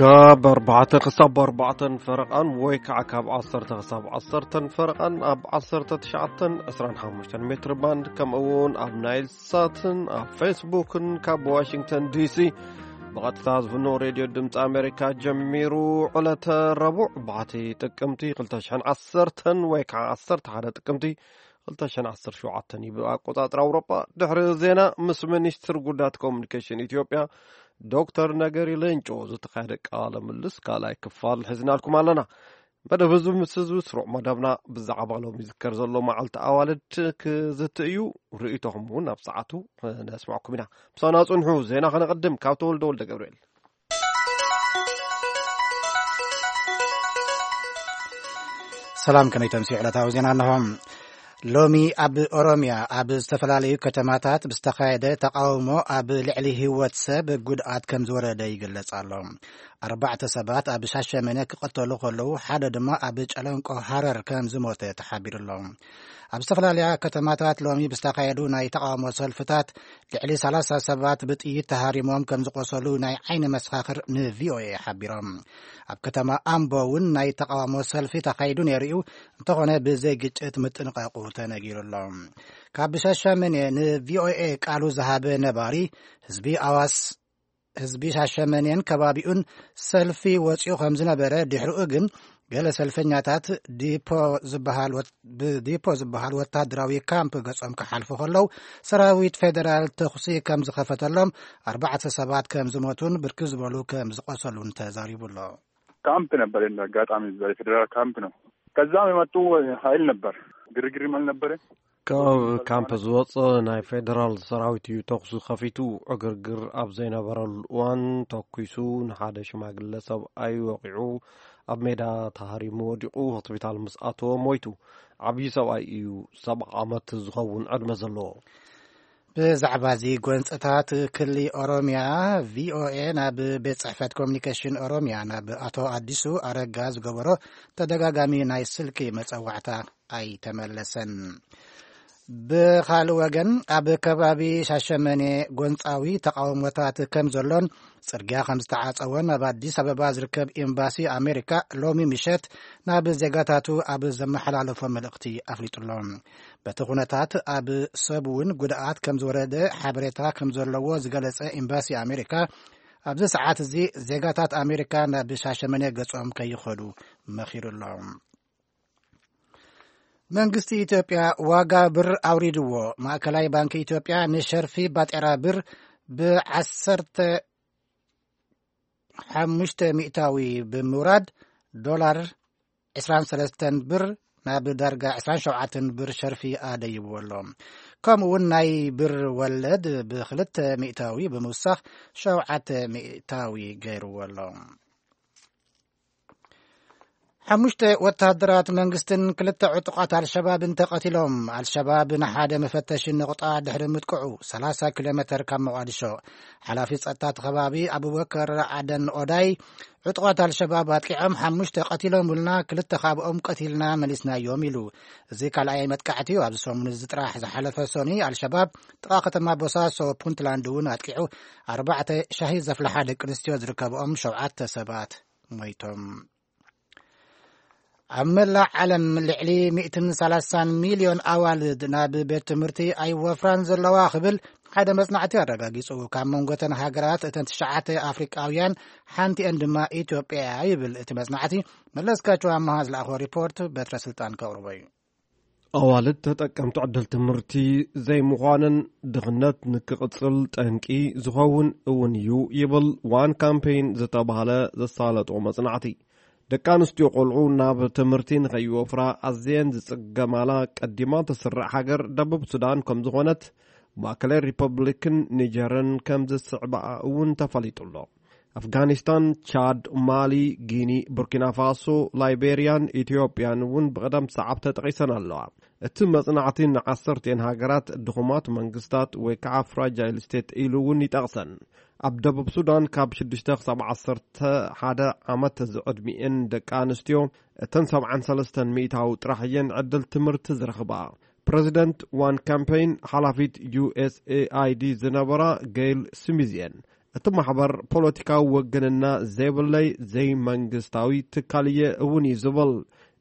ካብ ኣርባዕተ ክሳብ ኣርባዕተን ፈረቓን ወይ ከዓ ካብ ዓሰርተ ክሳብ ዓሰርተን ፈረቓን ኣብ ዓሰርተ ትሽዓተን ዕስራን ሓሙሽተን ሜትር ባንድ፣ ከምኡ እውን ኣብ ናይል ሳትን ኣብ ፌስቡክን ካብ ዋሽንግተን ዲሲ ብቐጥታ ዝፍኖ ሬድዮ ድምፂ ኣሜሪካ ጀሚሩ። ዕለተ ረቡዕ ባሕቲ ጥቅምቲ ክልተ ሽሕን ዓሰርተን ወይ ከዓ ዓሰርተ ሓደ ጥቅምቲ ክልተ ሽሕን ዓሰርተ ሸውዓተን እዩ ብኣቆፃፅራ ኣውሮጳ። ድሕሪ ዜና ምስ ሚኒስትር ጉዳያት ኮሙኒኬሽን ኢትዮጵያ ዶክተር ነገሪ ሌንጮ ዝተኻየደ ቃለ ምልልስ ካልኣይ ክፋል ሒዝናልኩም ኣለና። መደብ ህዝቢ ምስ ህዝቢ ስሩዕ መደብና ብዛዕባ ሎም ይዝከር ዘሎ መዓልቲ ኣዋልድ ክዝቲ እዩ። ርእይቶኹም እውን ኣብ ሰዓቱ ነስማዕኩም ኢና። ምሳና ጽንሑ። ዜና ከነቐድም ካብ ተወልደ ወልደ ገብርኤል። ሰላም፣ ከመይ ተምስዩ? ዕለታዊ ዜና ኣለኹም። ሎሚ ኣብ ኦሮምያ ኣብ ዝተፈላለዩ ከተማታት ብዝተኻየደ ተቃውሞ ኣብ ልዕሊ ህይወት ሰብ ጉድኣት ከም ዝወረደ ይግለጽ ኣሎ። ኣርባዕተ ሰባት ኣብ ሻሸመኔ ክቐተሉ ከለዉ፣ ሓደ ድማ ኣብ ጨለንቆ ሃረር ከም ዝሞተ ተሓቢሩ ኣሎ። ኣብ ዝተፈላለያ ከተማታት ሎሚ ብዝተኻየዱ ናይ ተቃውሞ ሰልፍታት ልዕሊ ሰላሳ ሰባት ብጥይት ተሃሪሞም ከም ዝቆሰሉ ናይ ዓይኒ መሰኻኽር ንቪኦኤ ሓቢሮም። ኣብ ከተማ ኣምቦ እውን ናይ ተቃውሞ ሰልፊ ተኻይዱ ነይሩ እዩ። እንተኾነ ብዘይ ግጭት ምጥንቃቁ ተነጊሩ ኣሎ። ካብ ሻሸመኔ ንቪኦኤ ቃሉ ዝሃበ ነባሪ ህዝቢ ኣዋስ ህዝቢ ሻሸመኔን ከባቢኡን ሰልፊ ወፂኡ ከም ዝነበረ፣ ድሕሪኡ ግን ገለ ሰልፈኛታት ዲፖ ዝበሃል ወት- ብዲፖ ዝበሃል ወታደራዊ ካምፕ ገጾም ክሓልፉ ከለዉ፣ ሰራዊት ፌደራል ተኹሲ ከም ዝኸፈተሎም፣ ኣርባዕተ ሰባት ከም ዝሞቱን ብርክት ዝበሉ ከም ዝቆሰሉን ተዛሪቡ ኣሎ። ካምፕ ነበር፣ እንደ አጋጣሚ እዛ የፌዴራል ካምፕ ነው። ከዛም የመጡ ኃይል ነበር፣ ግርግርም አልነበረ። ካብ ካምፕ ዝወፀ ናይ ፌደራል ሰራዊት እዩ ተኹሲ ከፊቱ። ዕግርግር ኣብ ዘይነበረሉ እዋን ተኩሱ ንሓደ ሽማግለ ሰብኣይ ወቂዑ፣ ኣብ ሜዳ ተሃሪሙ ወዲቑ፣ ሆስፒታል ምስ ኣተወ ሞይቱ። ዓብዪ ሰብኣይ እዩ፣ ሰብዓ ዓመት ዝኸውን ዕድመ ዘለዎ። ብዛዕባ እዚ ጎንፅታት ክሊ ኦሮምያ፣ ቪኦኤ ናብ ቤት ጽሕፈት ኮሚኒኬሽን ኦሮምያ ናብ ኣቶ ኣዲሱ ኣረጋ ዝገበሮ ተደጋጋሚ ናይ ስልኪ መጸዋዕታ ኣይተመለሰን። ብኻልእ ወገን፣ ኣብ ከባቢ ሻሸመኔ ጎንጻዊ ተቃውሞታት ከም ዘሎን ጽርግያ ከም ዝተዓጸወን ኣብ ኣዲስ ኣበባ ዝርከብ ኤምባሲ ኣሜሪካ ሎሚ ምሸት ናብ ዜጋታቱ ኣብ ዘመሓላለፎ መልእኽቲ ኣፍሊጡ ኣሎ። በቲ ኩነታት ኣብ ሰብ እውን ጉድኣት ከም ዝወረደ ሓበሬታ ከም ዘለዎ ዝገለጸ ኤምባሲ ኣሜሪካ፣ ኣብዚ ሰዓት እዚ ዜጋታት ኣሜሪካ ናብ ሻሸመኔ ገጾም ከይኸዱ መኺሩ ኣሎ። መንግስቲ ኢትዮጵያ ዋጋ ብር ኣውሪድዎ። ማእከላይ ባንኪ ኢትዮጵያ ንሸርፊ ባጤራ ብር ብዓሰርተ ሓሙሽተ ሚእታዊ ብምውራድ፣ ዶላር ዕስራን ሰለስተን ብር ናብ ዳርጋ ዕስራን ሸውዓተን ብር ሸርፊ ኣደይብዎ ኣሎ። ከምኡ እውን ናይ ብር ወለድ ብክልተ ሚእታዊ ብምውሳኽ ሸውዓተ ሚእታዊ ገይርዎ ኣሎ። ሓሙሽተ ወታደራት መንግስትን ክልተ ዕጡቓት ኣልሸባብን ተቐቲሎም። ኣልሸባብ ንሓደ መፈተሺ ነቑጣ ድሕሪ ምጥቅዑ፣ ሰላሳ ኪሎ ሜተር ካብ ሞቓዲሾ፣ ሓላፊ ጸጥታ እቲ ከባቢ ኣቡበከር ኣደን ኦዳይ፣ ዕጡቓት ኣልሸባብ ኣጥቂዖም ሓሙሽተ ቀቲሎምልና፣ ክልተ ካብኦም ቀቲልና መሊስናዮም ኢሉ። እዚ ካልኣይ መጥቃዕቲ እዩ። ኣብዚ ሰሙን እዚ ጥራሕ ዝሓለፈ ሰኑይ ኣልሸባብ ጥቓ ከተማ ቦሳሶ ፑንትላንድ እውን ኣጥቂዑ፣ ኣርባዕተ ሻሂ ዘፍልሓ ደቂ ኣንስትዮ ዝርከብኦም ሸውዓተ ሰባት ሞይቶም። ኣብ መላእ ዓለም ልዕሊ ሚእትን ሰላሳን ሚልዮን ኣዋልድ ናብ ቤት ትምህርቲ ኣይወፍራን ዘለዋ ክብል ሓደ መጽናዕቲ ኣረጋጊጹ። ካብ መንጎ እተን ሃገራት እተን ትሽዓተ ኣፍሪቃውያን ሓንቲአን ድማ ኢትዮጵያ እያ ይብል እቲ መጽናዕቲ። መለስካቸው ኣመሃ ዝለኣኾ ሪፖርት በትረ ስልጣን ከቕርቦ እዩ። ኣዋልድ ተጠቀምቲ ዕድል ትምህርቲ ዘይምዃነን ድኽነት ንክቕጽል ጠንቂ ዝኸውን እውን እዩ ይብል ዋን ካምፔይን ዝተባህለ ዘሳለጦ መጽናዕቲ። ደቂ ኣንስትዮ ቆልዑ ናብ ትምህርቲ ንኸይወፍራ ኣዝየን ዝጽገማላ ቀዲማ ተስርዕ ሃገር ደቡብ ሱዳን ከም ዝኾነት፣ ማእከላይ ሪፐብሊክን ኒጀርን ከም ዝስዕባኣ እውን ተፈሊጡ ኣሎ። ኣፍጋኒስታን፣ ቻድ፣ ማሊ፣ ጊኒ፣ ቡርኪና ፋሶ፣ ላይቤርያን ኢትዮጵያን እውን ብቕደም ሰዓብ ተጠቒሰን ኣለዋ። እቲ መጽናዕቲ ንዓሰርቲኤን ሃገራት ድኹማት መንግስታት ወይ ከዓ ፍራጃይል ስቴት ኢሉ እውን ይጠቕሰን። ኣብ ደቡብ ሱዳን ካብ ሽዱሽተ ክሳብ ዓሰርተ ሓደ ዓመት ዝዕድሚኤን ደቂ ኣንስትዮ እተን ሰብዓን ሰለስተን ሚእታዊ ጥራሕ እየን ዕድል ትምህርቲ ዝረኽባ። ፕረዚደንት ዋን ካምፔይን ሓላፊት ዩ ኤስ ኤ ኣይ ዲ ዝነበራ ገይል ስሚዝ እየን። እቲ ማሕበር ፖለቲካዊ ወገንና ዘይብለይ ዘይመንግስታዊ ትካል እየ እውን እዩ ዝብል።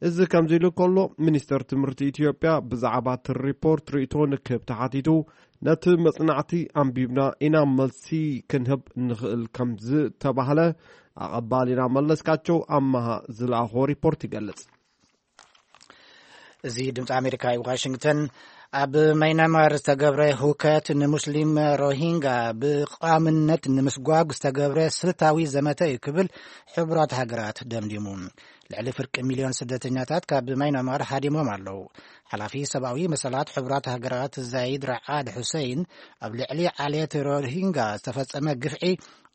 እዚ ከምዚ ኢሉ ከሎ፣ ሚኒስተር ትምህርቲ ኢትዮጵያ ብዛዕባ እቲ ሪፖርት ርእይቶ ንክህብ ተሓቲቱ፣ ነቲ መጽናዕቲ ኣንቢብና ኢና መልሲ ክንህብ ንኽእል ከም ዝተባህለ ኣቐባሊና መለስካቸው ኣማሃ ዝለኣኾ ሪፖርት ይገልጽ። እዚ ድምፂ ኣሜሪካ እዩ። ዋሽንግተን። ኣብ ማይናማር ዝተገብረ ህውከት ንሙስሊም ሮሂንጋ ብቋምነት ንምስጓግ ዝተገብረ ስልታዊ ዘመተ እዩ ክብል ሕቡራት ሃገራት ደምዲሙ። ልዕሊ ፍርቂ ሚልዮን ስደተኛታት ካብ ማይናማር ሃዲሞም ኣለዉ። ሓላፊ ሰብኣዊ መሰላት ሕቡራት ሃገራት ዛይድ ራዓድ ሑሰይን፣ ኣብ ልዕሊ ዓሌት ሮሂንጋ ዝተፈጸመ ግፍዒ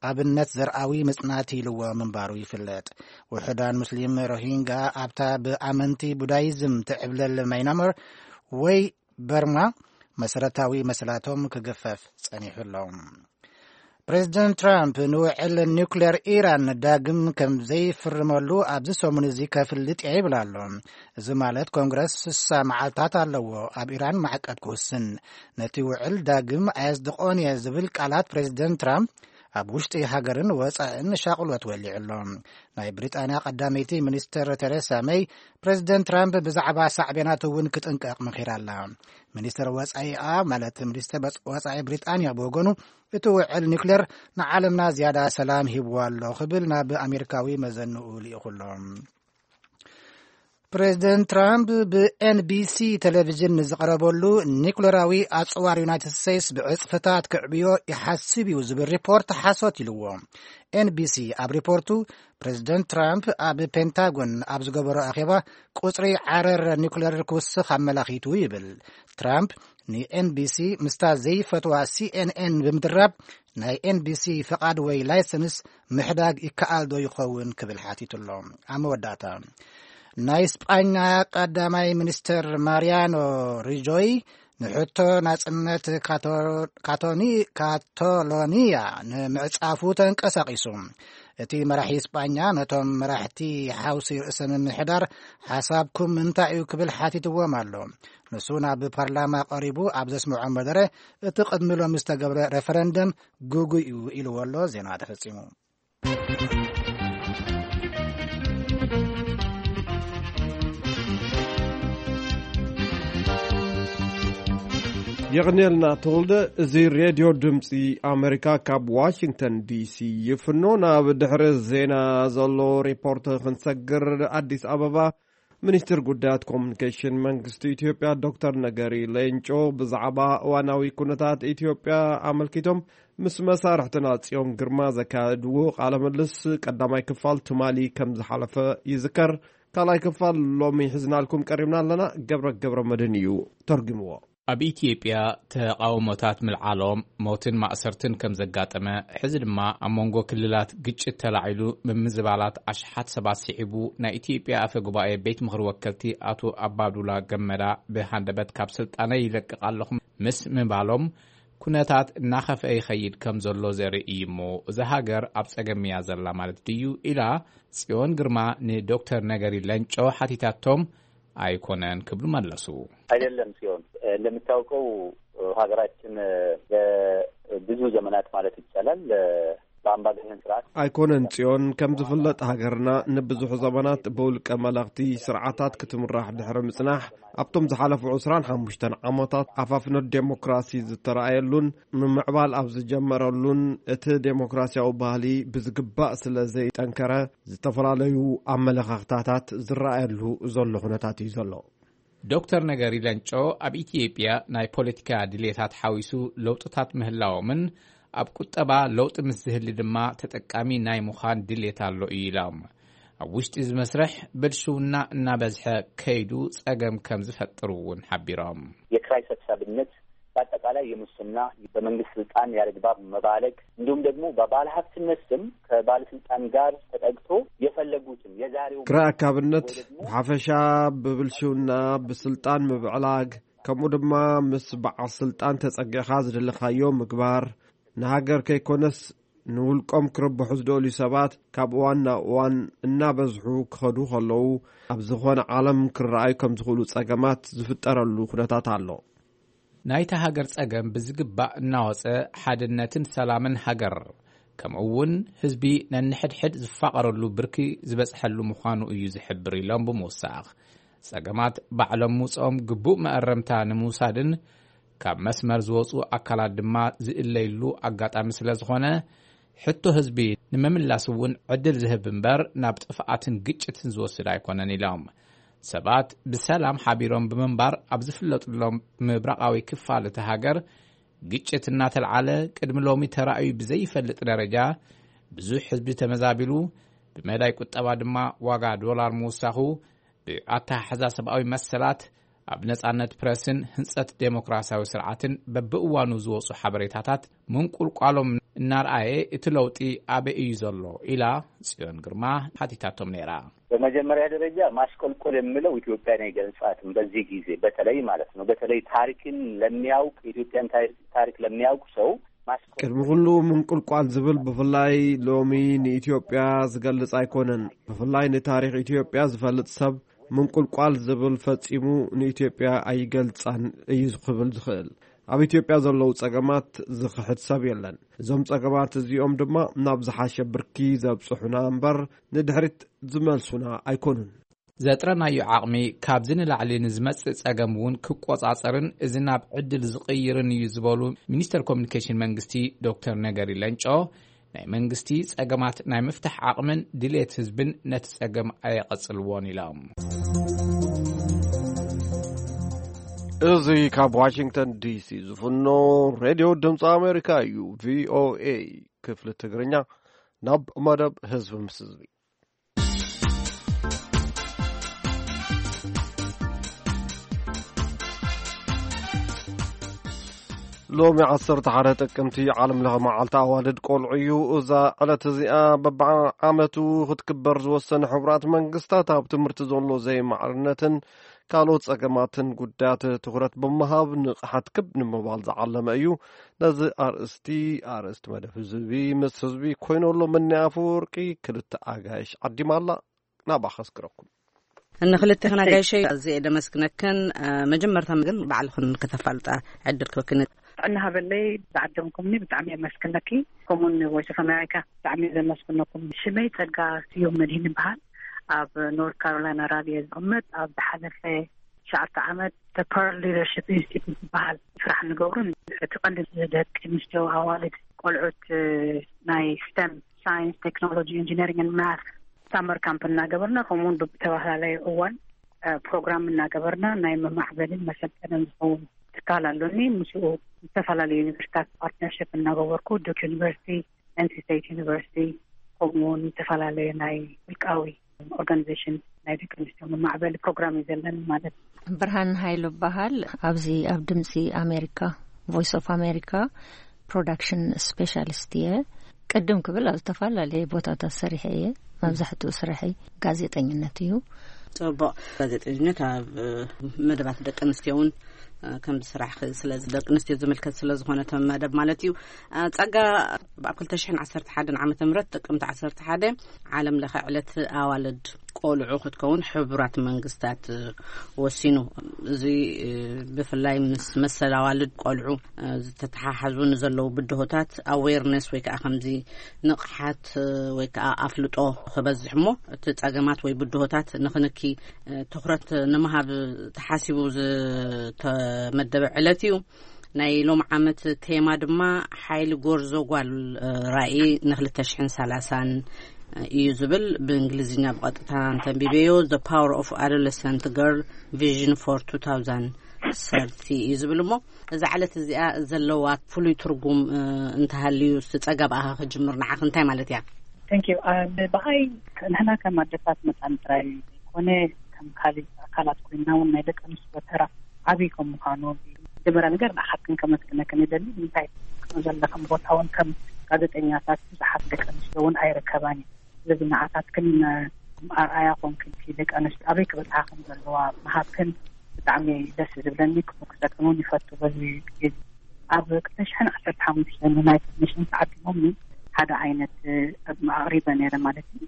ኣብነት ዘርኣዊ ምጽናት ኢልዎ ምንባሩ ይፍለጥ። ውሑዳን ሙስሊም ሮሂንጋ ኣብታ ብኣመንቲ ቡዳይዝም ትዕብለል ማይናማር ወይ በርማ መሰረታዊ መሰላቶም ክግፈፍ ጸኒሑ ኣሎ። ፕሬዚደንት ትራምፕ ንውዕል ኒውክሌር ኢራን ዳግም ከም ዘይፍርመሉ ኣብዚ ሰሙን እዚ ከፍልጥ እየ ይብል ኣሎ። እዚ ማለት ኮንግረስ ስሳ መዓልታት ኣለዎ ኣብ ኢራን ማዕቀብ ክውስን። ነቲ ውዕል ዳግም ኣየጽድቆን እየ ዝብል ቃላት ፕሬዚደንት ትራምፕ ኣብ ውሽጢ ሃገርን ወጻእን ሻቕሎት ወሊዑ ኣሎ። ናይ ብሪጣንያ ቀዳመይቲ ሚኒስትር ቴሬሳ መይ፣ ፕሬዚደንት ትራምፕ ብዛዕባ ሳዕቤናት እውን ክጥንቀቕ መኺራ ኣላ። ሚኒስትር ወጻኢኣ፣ ማለት ሚኒስትር ወጻኢ ብሪጣንያ ብወገኑ፣ እቲ ውዕል ኒውክሌር ንዓለምና ዝያዳ ሰላም ሂብዋ ኣሎ ክብል ናብ ኣሜሪካዊ መዘንኡ ልኢኹ ኣሎ። ፕሬዚደንት ትራምፕ ብኤንቢሲ ቴሌቪዥን ንዝቐረበሉ፣ ኒኩሌራዊ ኣጽዋር ዩናይትድ ስቴትስ ብዕጽፍታት ክዕብዮ ይሓስብ እዩ ዝብል ሪፖርት ሓሶት ኢልዎ። ኤንቢሲ ኣብ ሪፖርቱ፣ ፕሬዚደንት ትራምፕ ኣብ ፔንታጎን ኣብ ዝገበሮ ኣኼባ፣ ቁጽሪ ዓረር ኒኩሌር ክውስኽ ኣመላኺቱ ይብል። ትራምፕ ንኤንቢሲ ምስታ ዘይፈትዋ ሲኤንኤን ብምድራብ፣ ናይ ኤንቢሲ ፍቓድ ወይ ላይሰንስ ምሕዳግ ይከኣል ዶ ይኸውን ክብል ሓቲቱ ኣሎ። ኣብ መወዳእታ፣ ናይ ስጳኛ ቀዳማይ ሚኒስትር ማሪያኖ ሪጆይ ንሕቶ ናጽነት ካቶ-፣ ካቶኒ-፣ ካቶሎኒያ ንምዕጻፉ ተንቀሳቒሱ። እቲ መራሒ ስጳኛ ነቶም መራሕቲ ሓውሲ ርእሰ ምምሕዳር ሓሳብኩም እንታይ እዩ ክብል ሓቲትዎም ኣሎ። ንሱ ናብ ፓርላማ ቀሪቡ ኣብ ዘስምዖ መደረ፣ እቲ ቅድሚ ሎሚ ዝተገብረ ሬፈረንደም ግጉይ እዩ ኢልዎ ኣሎ። ዜና ተፈጺሙ። የቕንየልና ተወልደ። እዚ ሬድዮ ድምፂ ኣሜሪካ ካብ ዋሽንግተን ዲሲ ይፍኖ። ናብ ድሕሪ ዜና ዘሎ ሪፖርት ክንሰግር፣ ኣዲስ ኣበባ፣ ሚኒስትር ጉዳያት ኮሙኒኬሽን መንግስቲ ኢትዮጵያ ዶክተር ነገሪ ሌንጮ ብዛዕባ እዋናዊ ኩነታት ኢትዮጵያ ኣመልኪቶም ምስ መሳርሕትና ጽዮን ግርማ ዘካየድዎ ቃለ ምልልስ ቀዳማይ ክፋል ትማሊ ከም ዝሓለፈ ይዝከር። ካልኣይ ክፋል ሎሚ ሒዝናልኩም ቀሪብና ኣለና። ገብረ ገብረ መድህን እዩ ተርጉምዎ። ኣብ ኢትዮጵያ ተቓውሞታት ምልዓሎም፣ ሞትን ማእሰርትን ከም ዘጋጠመ፣ ሕዚ ድማ ኣብ መንጎ ክልላት ግጭት ተላዒሉ ምምዝባላት ኣሽሓት ሰባት ስዒቡ፣ ናይ ኢትዮጵያ ኣፈ ጉባኤ ቤት ምኽሪ ወከልቲ ኣቶ ኣባዱላ ገመዳ ብሃንደበት ካብ ስልጣነይ ይለቅቕ ኣለኹ ምስ ምባሎም፣ ኩነታት እናኸፍአ ይኸይድ ከም ዘሎ ዘርኢ እዩ እሞ፣ እዛ ሃገር ኣብ ጸገም እያ ዘላ ማለት ድዩ? ኢላ ጽዮን ግርማ ንዶክተር ነገሪ ለንጮ ሓቲታቶም። ኣይኮነን ክብሉ መለሱ። አይደለም ጽዮን፣ እንደምታውቀው ሀገራችን ለብዙ ዘመናት ማለት ይቻላል በአምባገነን ስርዓት። ኣይኮነን ጽዮን፣ ከም ዝፍለጥ ሃገርና ንብዙሕ ዘመናት ብውልቀ መለኽቲ ስርዓታት ክትምራሕ ድሕሪ ምጽናሕ፣ ኣብቶም ዝሓለፉ ዕስራን ሓሙሽተን ዓመታት ኣፋፍኖት ዴሞክራሲ ዝተረኣየሉን ምምዕባል ኣብ ዝጀመረሉን፣ እቲ ዴሞክራሲያዊ ባህሊ ብዝግባእ ስለ ዘይጠንከረ፣ ዝተፈላለዩ ኣመለኻኽታታት ዝረኣየሉ ዘሎ ኩነታት እዩ ዘሎ። ዶክተር ነገሪ ለንጮ ኣብ ኢትዮጵያ ናይ ፖለቲካ ድሌታት ሓዊሱ ለውጥታት ምህላዎምን፣ ኣብ ቁጠባ ለውጢ ምስ ዝህሊ ድማ ተጠቃሚ ናይ ምዃን ድሌት ኣሎ እዩ ኢሎም። ኣብ ውሽጢ እዚ መስርሕ ብልሽውና እናበዝሐ ከይዱ ጸገም ከም ዝፈጥር እውን ሓቢሮም። የክራይ ሰብሳብነት፣ በአጠቃላይ የሙስና፣ በመንግስት ስልጣን ያለግባብ መባለግ፣ እንዲሁም ደግሞ በባለሀብትነት ስም ከባለስልጣን ጋር ተጠግቶ የፈለጉትን የዛሬው ክራይ ኣካብነት፣ ወይ ደግሞ ብሓፈሻ ብብልሽውና፣ ብስልጣን ምብዕላግ፣ ከምኡ ድማ ምስ በዓል ስልጣን ተጸጊዕኻ ዝደለኻዮ ምግባር፣ ንሃገር ከይኮነስ ንውልቆም ክርብሑ ዝደልዩ ሰባት ካብ እዋን ናብ እዋን እናበዝሑ ክኸዱ ከለዉ፣ ኣብ ዝኾነ ዓለም ክረኣዩ ከም ዝኽእሉ ጸገማት ዝፍጠረሉ ኩነታት ኣሎ። ናይታ ሃገር ጸገም ብዝግባእ እናወጸ፣ ሓድነትን ሰላምን ሃገር ከምኡ እውን ህዝቢ ነንሕድሕድ ዝፋቐረሉ ብርኪ ዝበጽሐሉ ምዃኑ እዩ ዝሕብር ኢሎም ብምውሳኽ፣ ጸገማት ባዕሎም ምውጽኦም ግቡእ መእረምታ ንምውሳድን ካብ መስመር ዝወጹ ኣካላት ድማ ዝእለይሉ ኣጋጣሚ ስለ ዝኾነ፣ ሕቶ ህዝቢ ንምምላስ እውን ዕድል ዝህብ እምበር ናብ ጥፍኣትን ግጭትን ዝወስድ ኣይኮነን ኢሎም። ሰባት ብሰላም ሓቢሮም ብምንባር ኣብ ዝፍለጡሎም ምብራቓዊ ክፋል እቲ ሃገር ግጭት እናተልዓለ ቅድሚ ሎሚ ተራእዩ ብዘይፈልጥ ደረጃ ብዙሕ ህዝቢ ተመዛቢሉ፣ ብመዳይ ቁጠባ ድማ ዋጋ ዶላር ምውሳኹ፣ ብኣተሓሕዛ ሰብኣዊ መሰላት፣ ኣብ ነጻነት ፕረስን ህንጸት ዴሞክራሲያዊ ስርዓትን በብእዋኑ ዝወጹ ሓበሬታታት ምንቁልቋሎም እናርኣየ እቲ ለውጢ ኣበይ እዩ ዘሎ ኢላ ጽዮን ግርማ ሓቲታቶም ነይራ። በመጀመሪያ ደረጃ ማሽቆልቆል የምለው ኢትዮጵያን አይገልጻትም። በዚህ ጊዜ በተለይ ማለት ነው፣ በተለይ ታሪክን ለሚያውቅ፣ የኢትዮጵያን ታሪክ ለሚያውቅ ሰው ማሽቆልቆል ቅድሚ ኩሉ ምንቁልቋል ዝብል ብፍላይ ሎሚ ንኢትዮጵያ ዝገልጽ ኣይኮነን። ብፍላይ ንታሪኽ ኢትዮጵያ ዝፈልጥ ሰብ ምንቁልቋል ዝብል ፈጺሙ ንኢትዮጵያ ኣይገልጻን እዩ ክብል ዝኽእል። ኣብ ኢትዮጵያ ዘለዉ ጸገማት ዝኽሕድ ሰብ የለን። እዞም ጸገማት እዚኦም ድማ ናብ ዝሓሸ ብርኪ ዘብጽሑና እምበር ንድሕሪት ዝመልሱና ኣይኮኑን። ዘጥረናዮ ዓቕሚ ካብዚ ንላዕሊ ንዝመጽእ ጸገም እውን ክቆጻጸርን እዚ ናብ ዕድል ዝቕይርን እዩ ዝበሉ ሚኒስተር ኮሚኒኬሽን መንግስቲ ዶክተር ነገሪ ለንጮ፣ ናይ መንግስቲ ጸገማት ናይ ምፍታሕ ዓቕምን ድሌት ህዝብን ነቲ ጸገም ኣየቐጽልዎን ኢሎም። እዚ ካብ ዋሽንግተን ዲሲ ዝፍኖ ሬድዮ ድምፂ ኣሜሪካ እዩ፣ ቪኦኤ ክፍሊ ትግርኛ። ናብ መደብ ህዝቢ ምስ ህዝቢ። ሎሚ ዓሰርተ ሓደ ጥቅምቲ ዓለም ለኸ መዓልቲ ኣዋልድ ቆልዑ እዩ። እዛ ዕለት እዚኣ በብዓመቱ ክትክበር ዝወሰነ ሕቡራት መንግስታት ኣብ ትምህርቲ ዘሎ ዘይማዕርነትን ካልኦት ጸገማትን ጉዳያት ትኹረት ብምሃብ ንቕሓት ክብ ንምባል ዝዓለመ እዩ። ነዚ ኣርእስቲ፣ ኣርእስቲ መደብ ህዝቢ ምስ ህዝቢ ኮይነሎም እኒ ኣፈወርቂ ክልተ ኣጋይሽ ዓዲማ ኣላ። ናብኣ ከስክረኩም። ንክልቴኽን ኣጋይሸይ ኣዝየ ደመስግነክን። እ፣ መጀመርታ ግን ባዕልኽን ከተፋልጣ ዕድል ክበክን። ጥዕና ሃበለይ፣ ዝዓደምኩምኒ ብጣዕሚ የመስግነኪ። ከምኡውን ቮይስ ኦፍ ኣሜሪካ ብጣዕሚ ዘመስግነኩም። ሽመይ ጸጋ ስዩም መድህን ይበሃል። ኣብ ኖርት ካሮላይና ራልየ ዝቕመጥ፣ ኣብ ዝሓለፈ ትሽዓተ ዓመት ፐርል ሊደርሽፕ ኢንስቲትዩት ዝበሃል ስራሕ ንገብሩ። እቲ ቀንዲ ደቂ ኣንስትዮ ኣዋልድ ቆልዑት፣ እ፣ ናይ ስቴም፣ ሳይንስ፣ ቴክኖሎጂ፣ ኢንጂነሪንግ ማት ሳመር ካምፕ እናገበርና፣ ከምኡውን ብተፈላለየ እዋን፣ እ፣ ፕሮግራም እናገበርና ናይ መማዕበልን መሰልጠንን ዝኸውን ትካል ኣሎኒ። ምስኡ ዝተፈላለዩ ዩኒቨርሲታት ፓርትነርሽፕ እናገበርኩ፣ ዱክ ዩኒቨርሲቲ፣ ኤንሲ ስቴት ዩኒቨርሲቲ፣ ከምኡውን ዝተፈላለዩ ናይ ውልቃዊ ኦርጋኒዜሽን ናይ ደቂ ኣንስትዮ መማዕበሊ ፕሮግራም እዩ ዘለኒ ማለት እዩ። ብርሃን ሃይሉ እበሃል። ኣብዚ ኣብ ድምፂ ኣሜሪካ፣ ቮይስ ኦፍ ኣሜሪካ ፕሮዳክሽን ስፔሻሊስት እየ። ቅድም ክብል ኣብ ዝተፈላለየ ቦታታት ሰሪሐ እየ። መብዛሕትኡ ስርሐይ ጋዜጠኝነት እዩ። ጽቡቕ። ጋዜጠኝነት ኣብ፣ እ፣ መደባት ደቂ ኣንስትዮ እውን፣ እ፣ ከም ዝስራሕ ክ-፣ ስለዚ ደቂ ኣንስትዮ ዝምልከት ስለ ዝኾነ እቲ መደብ ማለት እዩ። እ፣ ጸጋ፣ ኣብ ክልተ ሽሕን ዓሰርተ ሓደን ዓመተ ምህረት ጥቅምቲ ዓሰርተ ሓደ ዓለም ለኸ ዕለት ኣዋልድ ቆልዑ ክትከውን ሕቡራት መንግስታት፣ እ፣ ወሲኑ። እዚ፣ እ፣ ብፍላይ ምስ መሰል ኣዋልድ ቆልዑ፣ እ፣ ዝተተሓሓዙ ንዘለዉ ብድሆታት ኣዌርነስ ወይ ከዓ ከምዚ ንቕሓት፣ እ፣ ወይ ከዓ ኣፍልጦ ክበዝሕ እሞ እቲ ጸገማት ወይ ብድሆታት ንኽንኪ፣ እ፣ ትኹረት ንምሃብ ተሓሲቡ ዝተመደበ ዕለት እዩ። ናይ ሎም ዓመት ቴማ ድማ ሓይሊ ጎርዞ ጓል፣ እ፣ ራእይ ንክልተ ሽሕን ሰላሳን እዩ ዝብል። ብእንግሊዝኛ ብቐጥታ እንተንቢበዮ፣ The Power of Adolescent Girl Vision for two thousand thirty እዩ ዝብል። እሞ እዛ ዕለት እዚኣ ዘለዋ ፍሉይ ትርጉም፣ እ፣ እንተሃልዩ፣ እስቲ ጸጋ ብኣኻ ክጅምር፣ ንዓኺ እንታይ ማለት እያ? Thank you። እ፣ ብኣይ ንሕና ከም ኣደታት መጻን ጥራይ ዘይኮነ፣ ከም ካልእ ኣካላት ኮይንና እውን ናይ ደቂ ኣንስትዮ ተራ ዓብዪ ከም ምዃኑ፣ መጀመርያ ነገር ንዓኻትክን ከመስግነክን ይደሊ። እንታይ ክትብሉ ዘለኽን ቦታ እውን ከም ጋዜጠኛታት ብዙሓት ደቂ ኣንስትዮ እውን ኣይርከባን እዩ። ስለዚ ንዓኻትክን፣ እ፣ ኣርኣያ ኮንክን፣ ደቂ ኣንስትዮ ኣበይ ክበጽሓ ከም ዘለዋ ምሃብክን ብጣዕሚ ደስ ዝብለኒ፣ ክምጉሰክን እውን ይፈቱ። በዚ ግዜ ኣብ ክልተ ሽሕን ዓሰርተ ሓሙሽተን ዩናይትድ ኔሽንስ ተዓዲሞም ሓደ ዓይነት፣ እ፣ ኣቕሪበ ነይረ ማለት እዩ።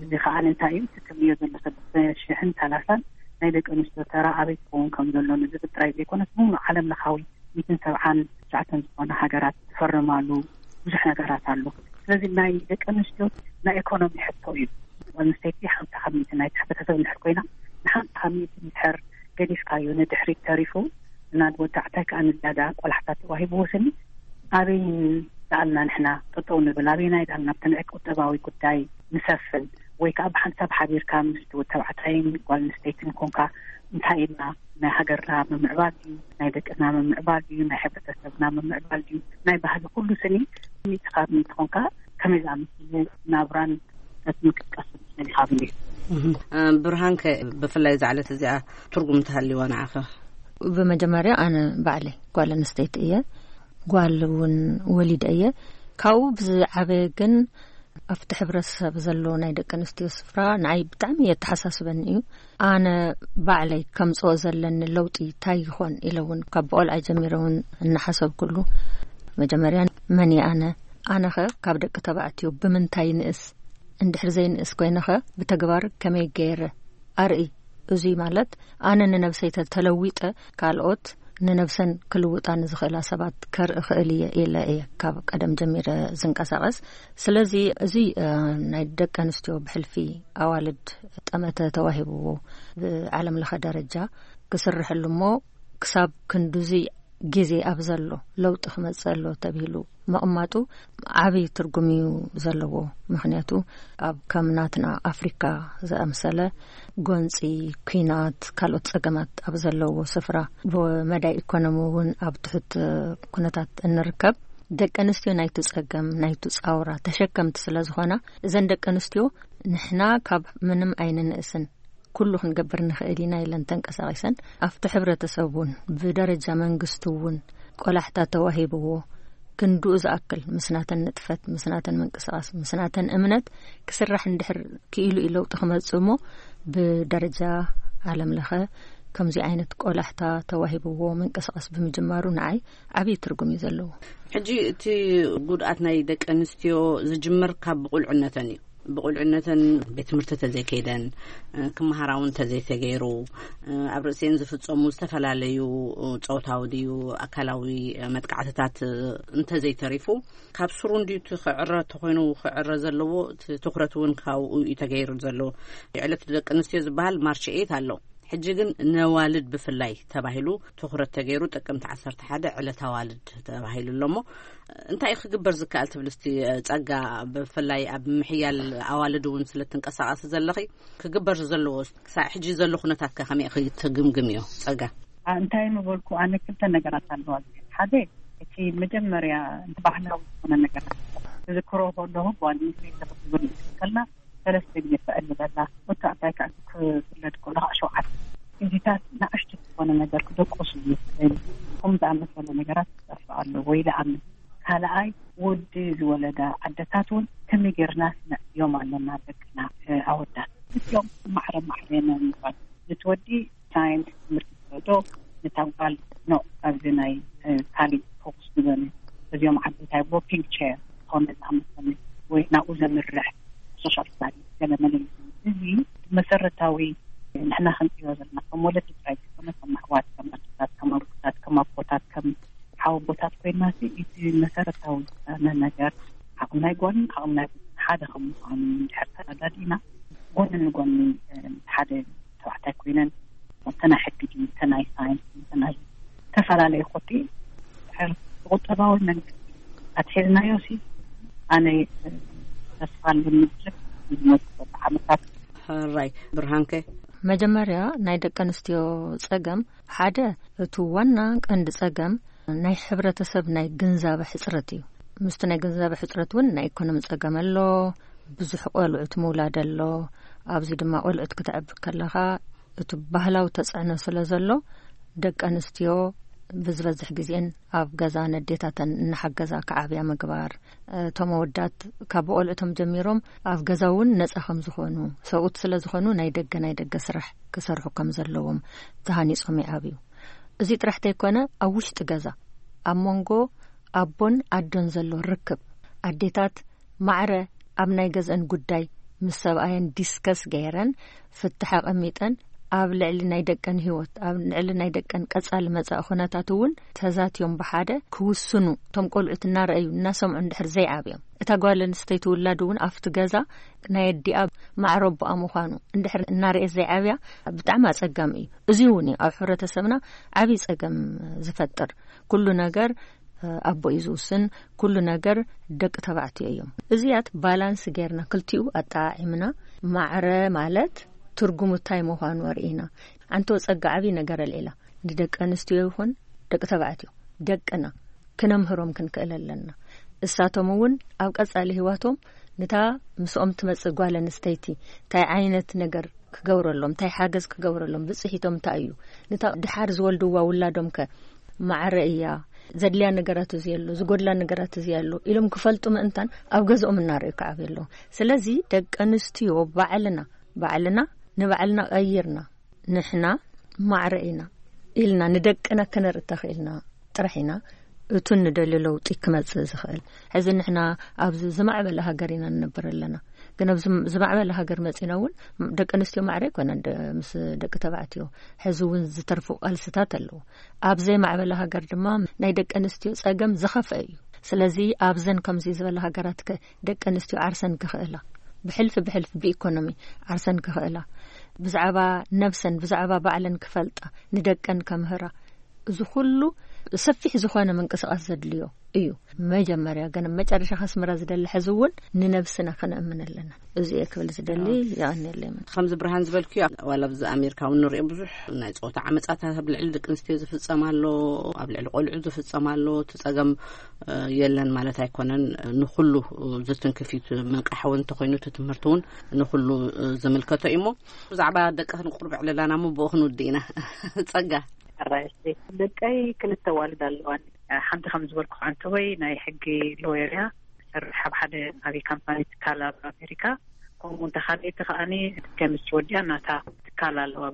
እዚ ከዓ እንታይ እዩ? እቲ ትርእዮ ዘለኺ ክልተ ሽሕን ሰላሳን ናይ ደቂ ኣንስትዮ ተራ ኣበይ ክኸውን ከም ዘሎ ንዝብል ጥራይ ዘይኮነስ፣ ሙሉእ ዓለም ለኻዊ ሚእትን ሰብዓን ትሽዓተን ዝኾነ ሃገራት ዝፈረማሉ ብዙሕ ነገራት ኣሎ። ስለዚ ናይ ደቂ ኣንስትዮ ናይ ኢኮኖሚ ሕቶ እዩ። ጓል ኣንስተይቲ ሓምሳ ካብ ሚእቲ ናይቲ ሕብረተሰብ እንድሕር ኮይና፣ ንሓምሳ ካብ ሚእቲ እንድሕር ገዲፍካዮ ንድሕሪት ተሪፉ፣ እና ወዲ ኣዕታይ ከኣ ንዳዳ ቆላሕታ ተዋሂብዎ ስኒ፣ ኣበይ ደኣልና ንሕና ጠጠው ንብል? ኣበይናይ ደኣልና ኣብቲ ንዕቅ ቁጠባዊ ጉዳይ ንሰፍን? ወይ ከኣ ብሓንሳብ ሓቢርካ ምስ ወዲ ተባዕታይን ጓል ኣንስተይትን ኮንካ እንታይ ኢልና? ናይ ሃገርና ምምዕባል ድዩ? ናይ ደቅና ምምዕባል ድዩ? ናይ ሕብረተሰብና ምምዕባል ድዩ? ናይ ባህሊ ኩሉ ስኒ ሚእቲ ካብ ሚእቲ ኮንካ ከመይ ዝኣመሰለ ናብራን ምክትቀስ ዝደሊኻ ብሊ? ብርሃንከ ብፍላይ ዛዕለት እዚኣ ትርጉም ተሃልዋ ንዓኸ? ብመጀመርያ ኣነ ባዕለይ ጓል ኣንስተይቲ እየ። ጓል እውን ወሊደ እየ። ካብኡ ብዝዓበ ግን ኣብቲ ሕብረተሰብ ዘሎ ናይ ደቂ ኣንስትዮ ስፍራ ንዓይ ብጣዕሚ የተሓሳስበኒ እዩ። ኣነ ባዕለይ ከምፅኦ ዘለኒ ለውጢ እንታይ ይኾን ኢለ እውን ካብ ብቆልዓ ጀሚረ እውን እናሓሰብኩሉ፣ መጀመርያ መን እየ ኣነ? ኣነኸ ካብ ደቂ ተባዕትዮ ብምንታይ ንእስ? እንድሕር ዘይንእስ ኮይነኸ ብተግባር ከመይ ገይረ ኣርኢ? እዙይ ማለት ኣነ ንነብሰይ ተተለዊጠ ካልኦት ንነብሰን ክልውጣ ንዝኽእላ ሰባት ከርኢ ክእል እየ ኢለ እየ ካብ ቀደም ጀሚረ ዝንቀሳቐስ። ስለዚ እዚ ናይ ደቂ ኣንስትዮ ብሕልፊ ኣዋልድ ጠመተ ተዋሂብዎ ብዓለም ለኸ ደረጃ ክስርሐሉ እሞ ክሳብ ክንዱዚ ግዜ ኣብ ዘሎ ለውጢ ክመጽእ ኣሎ ተብሂሉ ምቕማጡ ዓብዪ ትርጉም እዩ ዘለዎ። ምኽንያቱ ኣብ ከም ናትና ኣፍሪካ ዝኣምሰለ ጎንፂ፣ ኲናት፣ ካልኦት ጸገማት ኣብ ዘለዎ ስፍራ ብመዳይ ኢኮኖሚ እውን ኣብ ትሑት ኩነታት እንርከብ፣ ደቂ ኣንስትዮ ናይቱ ጸገም ናይቱ ጻውራ ተሸከምቲ ስለ ዝኾና እዘን ደቂ ኣንስትዮ ንሕና ካብ ምንም ኣይንንእስን ኩሉ ክንገብር ንኽእል ኢና ኢለን ተንቀሳቒሰን ኣብቲ ሕብረተሰብ እውን ብደረጃ መንግስቲ እውን ቆላሕታ ተዋሂብዎ ክንድኡ ዝኣክል ምስናተን ንጥፈት ምስናተን ምንቅስቃስ ምስናተን እምነት ክስራሕ እንድሕር ክኢሉ እዩ ለውጢ ክመጽእ እሞ ብደረጃ ዓለም ለኸ ከምዚ ዓይነት ቆላሕታ ተዋሂብዎ ምንቅስቃስ ብምጅማሩ ንዓይ ዓብዪ ትርጉም እዩ ዘለዎ። ሕጂ እቲ ጉድኣት ናይ ደቂ ኣንስትዮ ዝጅምር ካብ ብቁልዕነተን እዩ። ብቁልዕነተን ቤት ትምህርቲ ተዘይከይደን ክመሃራ እውን ተዘይተገይሩ ኣብ ርእሲኤን ዝፍጸሙ ዝተፈላለዩ ጾታዊ ድዩ ኣካላዊ መጥቃዕትታት እንተዘይተሪፉ ካብ ስሩ እንድዩ እቲ ክዕረ ተኮይኑ ክዕረ ዘለዎ እቲ ትኩረት እውን ካብኡ እዩ ተገይሩ ዘሎ። ዕለት ደቂ ኣንስትዮ ዝበሃል ማርች ኤት ኣሎ። ሕጂ ግን ነዋልድ ብፍላይ ተባሂሉ ትኩረት ተገይሩ ጥቅምቲ ዓሰርተ ሓደ ዕለት ኣዋልድ ተባሂሉ ኣሎ እሞ እንታይ ክግበር ዝከኣል ትብል እስቲ ጸጋ? ብፍላይ ኣብ ምሕያል ኣዋልድ እውን ስለ ትንቀሳቐሲ ዘለኺ ክግበር ዘለዎ ክሳዕ ሕጂ ዘሎ ኩነታት ከ ከመይ ክትግምግም እዮ ጸጋ? እንታይ ምበልኩ ኣነ ክልተ ነገራት ኣለዋ። ሓደ እቲ መጀመርያ ባህላዊ ዝኾነ ነገራት ዝክሮ ከለኹ ጓል ኣንስተይቲ ክትብል ከላ ሰለስተ ግዜ ትዕሊ ዘላ ወታዕታይ ከዓ ክፍለድ ከሎ ከዓ ሸውዓተ ግዜታት ንኣሽቱ ዝኾነ ነገር ክደቆሱ ይመስለኒ። ከም ዝኣመሰለ ነገራት ክጠፍእ ኣሎ ወይ ዝኣምን ካልኣይ ወዲ ዝወለዳ ኣደታት እውን ከመይ ጌርና ስነዕብዮም ኣለና ደቅና ኣወዳት እዚኦም ማዕረ ማዕረ ምባል ነቲ ወዲ ሳይንስ ትምህርቲ ዝወዶ ነታ ጓል ኖ ኣብዚ ናይ ካሊእ ፎክስ ዝበለ እዚኦም ዓበይታይ ዎኪንግ ቸር ዝኾነ ዝኣመሰለ ወይ ናብኡ ዘምርሕ ሶሻል ስታዲ ገለ መለ እዚ መሰረታዊ ንሕና ክንፅዮ ዘለና ከም ወለዲ ጥራይ ዝኾነ ከም ኣሕዋት ከም ኣደታት ከም ኣቦታት ከም ኣቦታት ከም ሓወቦታት ኮይና እቲ መሰረታዊ ዝፀነ ነገር ዓቕም ናይ ጓልን ዓቕም ናይ ሓደ ከም ምዃኑ እንድሕር ተረዳዲእና ጎኒ ንጎኒ ሓደ ተባዕታይ ኮይነን ተናይ ሕጊ ድዩ ተናይ ሳይንስ ተናይ ዝተፈላለዩ ኮቲ ቁጠባዊ መንግስቲ ኣትሒዝናዮ ሲ ኣነ ተስፋ ኣለኒ ዝመፅእ ዓመታት። ሕራይ ብርሃንከ መጀመርያ ናይ ደቂ ኣንስትዮ ጸገም ሓደ እቲ ዋና ቀንዲ ጸገም ናይ ሕብረተሰብ ናይ ግንዛበ ሕጽረት እዩ። ምስቲ ናይ ግንዛበ ሕጽረት እውን ናይ ኢኮኖሚ ጸገም ኣሎ። ብዙሕ ቆልዑት ምውላድ ኣሎ። ኣብዚ ድማ ቆልዑት ክትዕቢ ከለኻ እቲ ባህላዊ ተጽዕኖ ስለ ዘሎ ደቂ ኣንስትዮ ብዝበዝሕ ግዜን ኣብ ገዛ ነዴታተን እናሓገዛ ክዓብያ ምግባር፣ እቶም ኣወዳት ካብ ቆልዑቶም ጀሚሮም ኣብ ገዛ እውን ነጻ ከም ዝኾኑ ሰብኡት ስለ ዝኾኑ ናይ ደገ ናይ ደገ ስራሕ ክሰርሑ ከም ዘለዎም ተሃኒጾም ይዓብዩ። እዚ ጥራሕ ተይኮነ ኣብ ውሽጢ ገዛ ኣብ መንጎ ኣቦን ኣዶን ዘሎ ርክብ ኣዴታት ማዕረ ኣብ ናይ ገዝአን ጉዳይ ምስ ሰብኣየን ዲስከስ ገይረን ፍትሕ ኣቐሚጠን ኣብ ልዕሊ ናይ ደቀን ህይወት፣ ኣብ ልዕሊ ናይ ደቀን ቀጻሊ መጻኢ ኩነታት እውን ተዛትዮም ብሓደ ክውስኑ፣ እቶም ቆልዑት እናረኣዩ እናሰምዑ እንድሕር ዘይዓብዮም፣ እታ ጓል ኣንስተይቲ ውላድ እውን ኣብቲ ገዛ ናይ ኣዲኣ ማዕረ ኣቦኣ ምዃኑ እንድሕር እናርኤት ዘይዓብያ፣ ብጣዕሚ ኣጸጋሚ እዩ። እዚ እውን እዩ ኣብ ሕብረተሰብና ዓብዪ ጸገም ዝፈጥር። ኩሉ ነገር ኣቦ እዩ ዝውስን፣ ኩሉ ነገር ደቂ ተባዕትዮ እዮም። እዚያት ባላንስ ጌርና፣ ክልቲኡ ኣጠዓዒምና፣ ማዕረ ማለት ትርጉሙ እንታይ ምዃኑ ኣርኢና። ኣንቶ ጸጋ ዓብዪ ነገር ኣልዒላ፣ ንደቂ ኣንስትዮ ይኹን ደቂ ተባዕትዮ፣ ደቅና ክነምህሮም ክንክእል ኣለና። እሳቶም እውን ኣብ ቀጻሊ ህይወቶም ንታ ምስኦም ትመጽእ ጓል ኣንስተይቲ እንታይ ዓይነት ነገር ክገብረሎም፣ እንታይ ሓገዝ ክገብረሎም፣ ብጽሒቶም እንታይ እዩ፣ ንታ ድሓር ዝወልድዋ ውላዶም ከ ማዕረ እያ፣ ዘድልያ ነገራት እዚ ኣሎ፣ ዝጎድላ ነገራት እዚ ኣሎ ኢሎም ክፈልጡ ምእንታን ኣብ ገዝኦም እናረዩ ክዓብዩ ኣለዎም። ስለዚ ደቂ ኣንስትዮ ባዕልና፣ ባዕልና ንባዕልና ቀይርና፣ ንሕና ማዕረ ኢና ኢልና ንደቅና ከነርኢ ተኽኢልና ጥራሕ ኢና እቱ ንደልዮ ለውጢ ክመጽእ ዝኽእል። ሕዚ ንሕና ኣብዚ ዝማዕበለ ሃገር ኢና ንነብር ኣለና። ግን ኣብዚ ዝማዕበለ ሃገር መጺና እውን ደቂ ኣንስትዮ ማዕረ ኣይኮነን ደ-፣ ምስ ደቂ ተባዕትዮ። ሕዚ እውን ዝተርፉ ቃልስታት ኣለዉ። ኣብ ዘይማዕበለ ሃገር ድማ ናይ ደቂ ኣንስትዮ ጸገም ዝኸፍአ እዩ። ስለዚ ኣብዘን ከምዚ ዝበላ ሃገራት ከ ደቂ ኣንስትዮ ዓርሰን ክኽእላ፣ ብሕልፊ ብሕልፊ ብኢኮኖሚ ዓርሰን ክኽእላ፣ ብዛዕባ ነብሰን፣ ብዛዕባ ባዕለን ክፈልጣ፣ ንደቀን ከምህራ፣ እዚ ኩሉ ሰፊሕ ዝኾነ ምንቅስቃስ ዘድልዮ እዩ። መጀመርያ ግን መጨረሻ ከስምራ ዝደሊ ሕዚ እውን ንነብስና ከነእምን ኣለና። እዚ እየ ክብል ዝደሊ። የቐንየለይ። ከምዚ ብርሃን ዝበልክዮ፣ ዋላ ኣብዚ ኣሜሪካ እውን ንሪኦ ብዙሕ ናይ ጾታ ዓመጻታት ኣብ ልዕሊ ደቂ ኣንስትዮ ዝፍጸም ኣሎ፣ ኣብ ልዕሊ ቆልዑ ዝፍጸም ኣሎ። እቲ ጸገም እ፣ የለን ማለት ኣይኮነን። ንኹሉ ዝትንክፍ እዩ። እቲ ምንቃሕ እውን እንተኾይኑ፣ እቲ ትምህርቲ እውን ንኹሉ፣ እ፣ ዝምልከቶ እዩ። እሞ ብዛዕባ ደቅኽን ቁሩብ ዕለላና እሞ ብኡ ክንውድእ ኢና። ጸጋ። ሕራይ፣ እሺ። ደቀይ ክልተ ኣዋልድ ኣለዋን። ሓንቲ ከም ዝበልኩ ዓንተወይ ናይ ሕጊ ሎየር እያ። ትሰርሕ ኣብ ሓደ ዓብዪ ካምፓኒ ትካል ኣብ ኣሜሪካ። ከምኡ እንተ ካልኣይቲ ከኣኒ ኬሚስትሪ ወዲኣ ናታ ትካል ኣለዋ።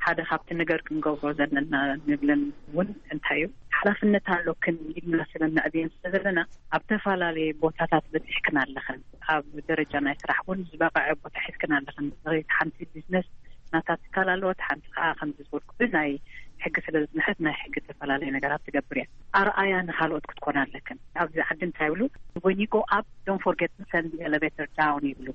ሓደ ካብቲ ነገር ክንገብሮ ዘለና ንብለን እውን እንታይ እዩ፣ ሓላፍነት ኣሎክን ኢልና ስለ ነዕብየን ስለ ዘለና ኣብ ተፈላለየ ቦታታት በጺሕክን ኣለኽን። ኣብ ደረጃ ናይ ስራሕ እውን ዝበቐዐ ቦታ ሒዝክን ኣለኽን። እቲ ሓንቲ ቢዝነስ ናታ ትካል ኣለዎ፣ እቲ ሓንቲ ከዓ ከምዚ ዝበልኩ ናይ ሕጊ ስለ ዝመሐት ናይ ሕጊ ዝተፈላለየ ነገራት ትገብር እያ። ኣርኣያ ንኻልኦት ክትኮና ኣለክን። ኣብዚ ዓዲ እንታይ ይብሉ፣ when you go up, don't forget to send the elevator down ይብሉ።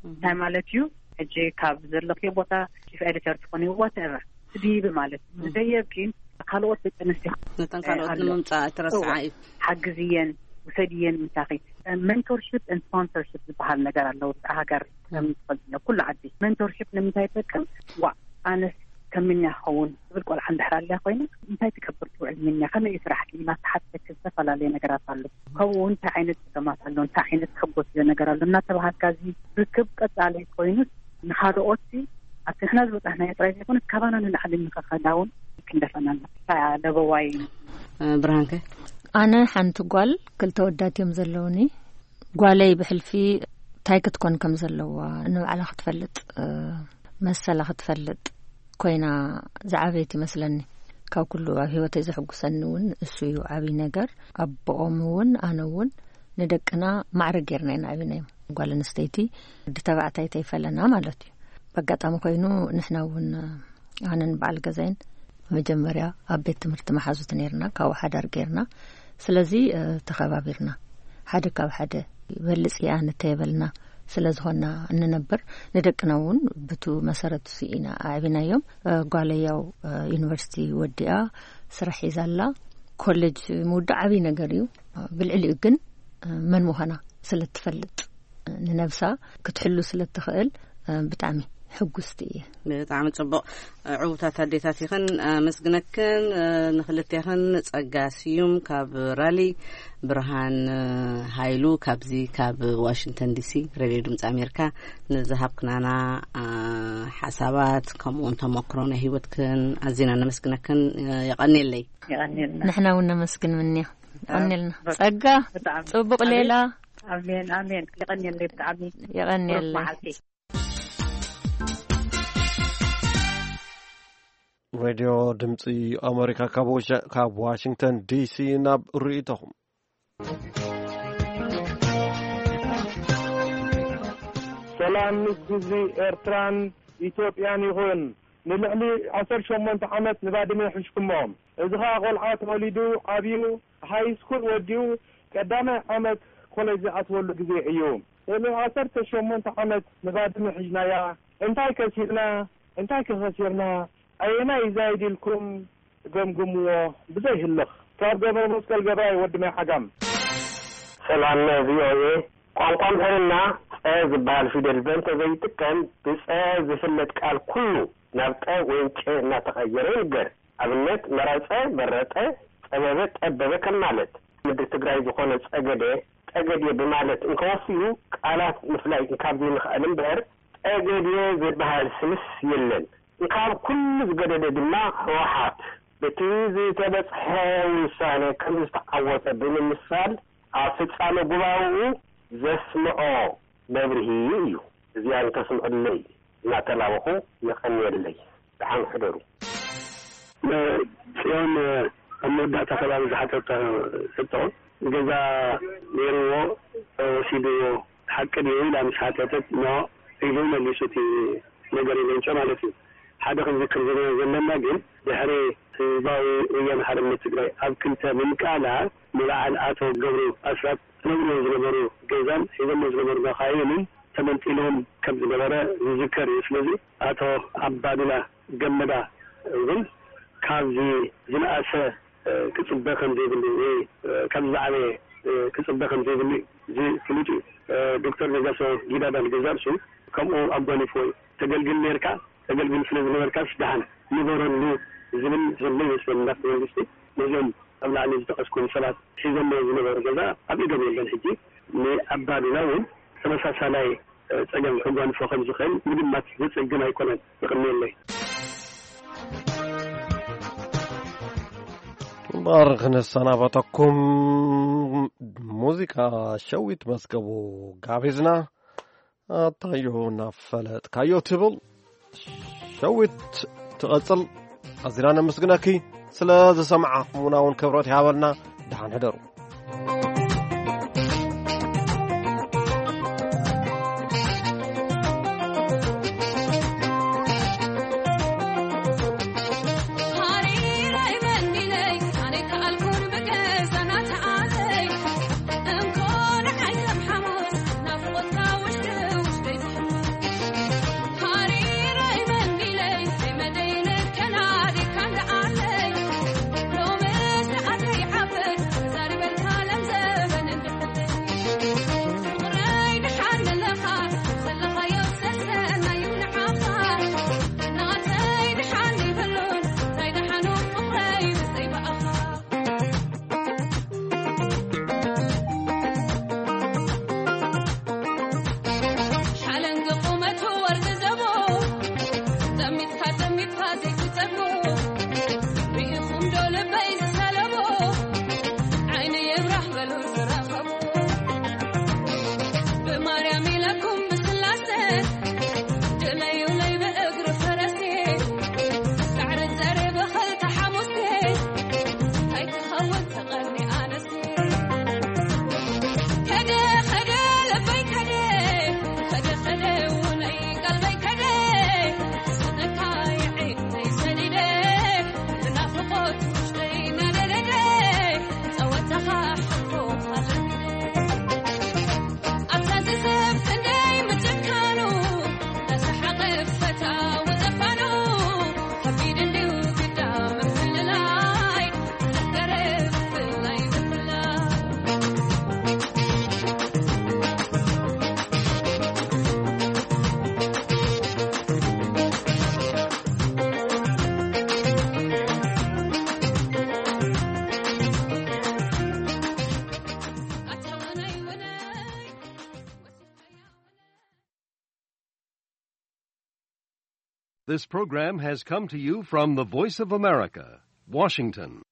እንታይ ማለት እዩ? ሕጂ ካብ ዘለኽዮ ቦታ ቺፍ ኤዲተር ትኾኒ፣ ዋትኤቨር፣ ትድይቢ ማለት እዩ። ዝደየብኪን ካልኦት ደቂ ኣንስትዮ ነተን ካልኦት ኣሎ። ንምምፃእ ትረስዓ እዋ፣ እዩ። ሓግዝየን፣ ውሰድየን ምሳኺ። ሜንቶርሽፕ ን ስፖንሰርሽፕ ዝበሃል ነገር ኣለዉ። ኣብ ሃገር ከም ትፈልጥዮ፣ ኩሉ ዓዲ ሜንቶርሽፕ ንምንታይ ይጠቅም? ዋ፣ ኣነስ ከምንያ ክኸውን ትብል ቆልዓ እንድሕር ኣልያ ኮይና፣ እንታይ ትገብር ትውዕል ምንያ፣ ከመይ እዩ ስራሕኪ ኢላ ትሓተኪ። ዝተፈላለየ ነገራት ኣሎ። ከምኡ እውን እንታይ ዓይነት ፀገማት ኣሎ፣ እንታይ ዓይነት ተሕጎስዮ ነገር ኣሎ እናተባሃልካ እዚ ርክብ ቀፃሊ ኮይኑስ ንኻልኦት ኣብቲ ንሕና ዝበፃሕናዮ ጥራይ ዘይኮነ ካባና ንላዕሊ ንኸኸዳ እውን ክንደፈና ኣለና። እታ ለበዋይ። እ፣ ብርሃንከ? ኣነ ሓንቲ ጓል፣ ክልተ ወዳት እዮም ዘለውኒ። ጓለይ ብሕልፊ እንታይ ክትኮን ከም ዘለዋ ንባዕላ ክትፈልጥ፣ እ፣ መሰላ ክትፈልጥ ኮይና ዝዓበየት ይመስለኒ። ካብ ኩሉ ኣብ ህይወተይ ዘሕጉሰኒ እውን እሱ እዩ ዓብዪ ነገር። ኣቦኦም እውን ኣነ እውን ንደቅና ማዕረ ጌርና ኢና ዓቢናዮም። ጓል ኣንስተይቲ ወዲ ተባዕታይ ተይፈለና ማለት እዩ። በኣጋጣሚ ኮይኑ ንሕና እውን ኣነን በዓል ገዛይን መጀመርያ ኣብ ቤት ትምህርቲ መሓዙት ኔርና፣ ካብኡ ሓዳር ጌርና። ስለዚ፣ እ፣ ተኸባቢርና፣ ሓደ ካብ ሓደ ይበልጽ እያ ንተየበልና ስለ ዝኾንና እንነብር፣ ንደቅና እውን ብቱ መሰረት እሱ ኢና ኣዕቢናዮም። እ፣ ጓለይ ያው፣ እ፣ ዩኒቨርሲቲ ወዲኣ ስራሕ ሒዛ ኣላ። ኮሌጅ ምውዳእ ዓብዪ ነገር እዩ። ብልዕሊኡ ግን፣ እ፣ መን ምዃና ስለ እትፈልጥ፣ ንነብሳ ክትሕሉ ስለ እትኽእል፣ እ፣ ብጣዕሚ ሕጉስቲ እየ። ብጣዕሚ ጽቡቕ። ዕዉታት ኣዴታት ኢኽን፣ ኣመስግነክን። ንኽልቴኽን ጸጋ ስዩም ካብ ራሊ፣ ብርሃን ሃይሉ ካብዚ ካብ ዋሽንግተን ዲሲ ሬድዮ ድምፂ ኣሜሪካ ንዝሃብክናና፣ አ፣ ሓሳባት ከምኡውን ተመክሮ ናይ ህይወትክን ኣዚና ነመስግነክን። የቐንየለይ። የቐንየልና። ንሕና እውን ነመስግን ምንያ። የቐንየልና። ጸጋ፣ ብጣዕሚ። ጽቡቕ ሌላ። ኣሜን፣ ኣሜን። የቐንየለይ ብጣዕሚ። የቐንየለይ። ቁሩብ መዓልቲ። ሬድዮ ድምፂ ኣሜሪካ ካብ ዋሻ-፣ ካብ ዋሽንግተን ዲሲ ናብ ርእይቶኹም። ሰላም ምስ ህዝቢ ኤርትራን ኢትዮጵያን ይኹን። ንልዕሊ ዓሰርተ ሸሞንተ ዓመት ንባድመ ይሕሽኩሞ። እዚ ኸኣ ቆልዓ ተወሊዱ ዓብዩ፣ ሃይስኩል ወዲኡ ቀዳማይ ዓመት ኮሌጅ ዝኣትወሉ ግዜ እዩ። ልዕሊ ዓሰርተ ሸሞንተ ዓመት ንባድመ ሒዝናያ። እንታይ ከሲርና? እንታይ ከኸሲርና? ኣየናይ ይዛይድ ኢልኩም ገምግምዎ ብዘይህልኽ። ካብ ገብረ መስቀል ገብራይ ወዲ ማይ ዓጋም። ሰላም ቪኦኤ። ቋንቋ ኣምሓርኛ ጸ ዝበሃል ፊደል በእንተ ዘይጥቀም፣ ብጸ ዝፍለጥ ቃል ኩሉ ናብ ጠ ወይም ጨ እናተቐየረ ይንገር። ኣብነት፣ መረጸ፣ በረጠ፣ ጸበበ፣ ጠበበ ከም ማለት። ምድሪ ትግራይ ዝኾነ ጸገደ፣ ጠገዴ ብማለት እንከወፍዩ፣ ቃላት ምፍላይ እንካብ ዘይንኽኣል እምበር፣ ጠገዴ ዝበሃል ስምስ የለን። እንካብ ኩሉ ዝገደደ ድማ፣ ህወሓት በቲ ዝተበጽሐ ውሳነ ከም ዝተዓወተ ብምምሳል፣ ኣብ ፍጻመ ጉባኤኡ ዘስምዖ መብርሂ እዩ። እዚኣ እንተስምዑለይ እናተላበኹ የቐንየለይ። ደሓን ሕደሩ። ጽዮን ኣብ መወዳእታ ከባቢ ዝሓተቶ ሕቶ፣ ገዛ ነይርዎ፣ ወሲድዎ፣ ሓቂ ድዩ ኢላ ምስ ሓተተት፣ ኖ ኢሉ መሊሱ፣ እቲ ነገር ይመንጨ ማለት እዩ። ሓደ ክንዝክር ዘለ-፣ ዘለና ግን፣ ድሕሪ ህዝባዊ ወያነ ሓርነት ትግራይ ኣብ ክልተ ምምቃላ፣ ንበዓል ኣቶ ገብሩ ኣስራት ዝነብርዎ ዝነበሩ ገዛን ሒዞሞ ዝነበሩ መኻይንን ተመንጢሎም ከም ዝነበረ ዝዝከር እዩ። ስለዚ ኣቶ ኣባዱላ ገመዳ እውን ካብዚ ዝነኣሰ፣ እ፣ ክጽበ ከም ዘይብሉ ወይ፣ እ፣ ካብዚ ዝዓበየ፣ እ፣ ክጽበ ከም ዘይብሉ እዚ ፍሉጥ እዩ። እ፣ ዶክተር ነጋሶ ጊዳዳ ንገዛእ ርእሱ ከምኡ ኣጓኒፍዎ እዩ። ተገልግል ኔርካ፣ ተገልግል ስለ ዝነበርካስ ደሓን ንበረሉ ዝብል ዘሎ ይመስለኒ። እንዳፍቲ መንግስቲ ነዚኦም ኣብ ላዕሊ ዝጠቐስኩም ሰባት ሒዞሞ ዝነበሩ ገዛ ኣብ ኢዶም የለን። ሕጂ ንኣባዱላ እውን ተመሳሳላይ ጸገም ከጓንፎ ከም ዝኽእል ምግማት ዘጸግም ኣይኮነን። ይቕንየለይ። እምበር ክንሰናበተኩም ሙዚቃ ሸዊት መዝገቡ ጋቢዝና፣ ኣታዮ እናፈለጥካዮ ትብል ሸዊት ትቐጽል። ኣዚና ነመስግነኪ ስለ ዝሰማዕኹምና እውን ክብረት ይሃበልና። ደሓን ሕደሩ። This program has come to you from the Voice of America, Washington.